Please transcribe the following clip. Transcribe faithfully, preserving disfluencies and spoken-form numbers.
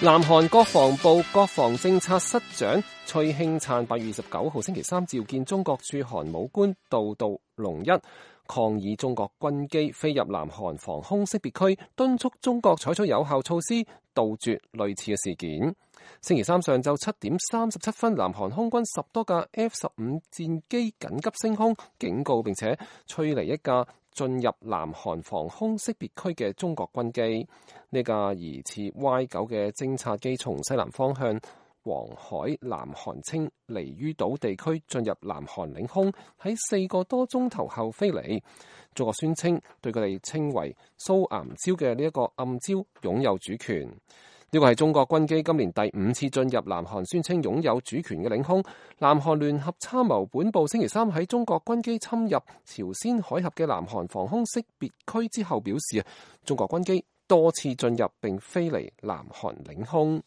南韓國防部國防政策室長崔慶燦八月二十九號星期三召見中國駐韓武官杜杜龍一，抗議中國軍機飛入南韓防空識別區，敦促中國採取有效措施杜絕類似嘅事件。星期三上晝七點三十七分，南韓空軍十多架 F 十五戰機緊急升空，警告並且吹離一架進入南韓防空識別區嘅中國軍機。呢架疑似 Y 九嘅偵察機從西南方向黃海南韓清離於島地區進入南韓領空，喺四個多鐘頭後飛離。中國宣稱對佢哋稱為蘇岩礁嘅呢一個暗礁擁有主權。呢個係中國軍機今年第五次進入南韓宣稱擁有主權嘅領空。南韓聯合參謀本部星期三喺中國軍機侵入朝鮮海峽嘅南韓防空識別區之後表示，中國軍機多次進入並飛離南韓領空。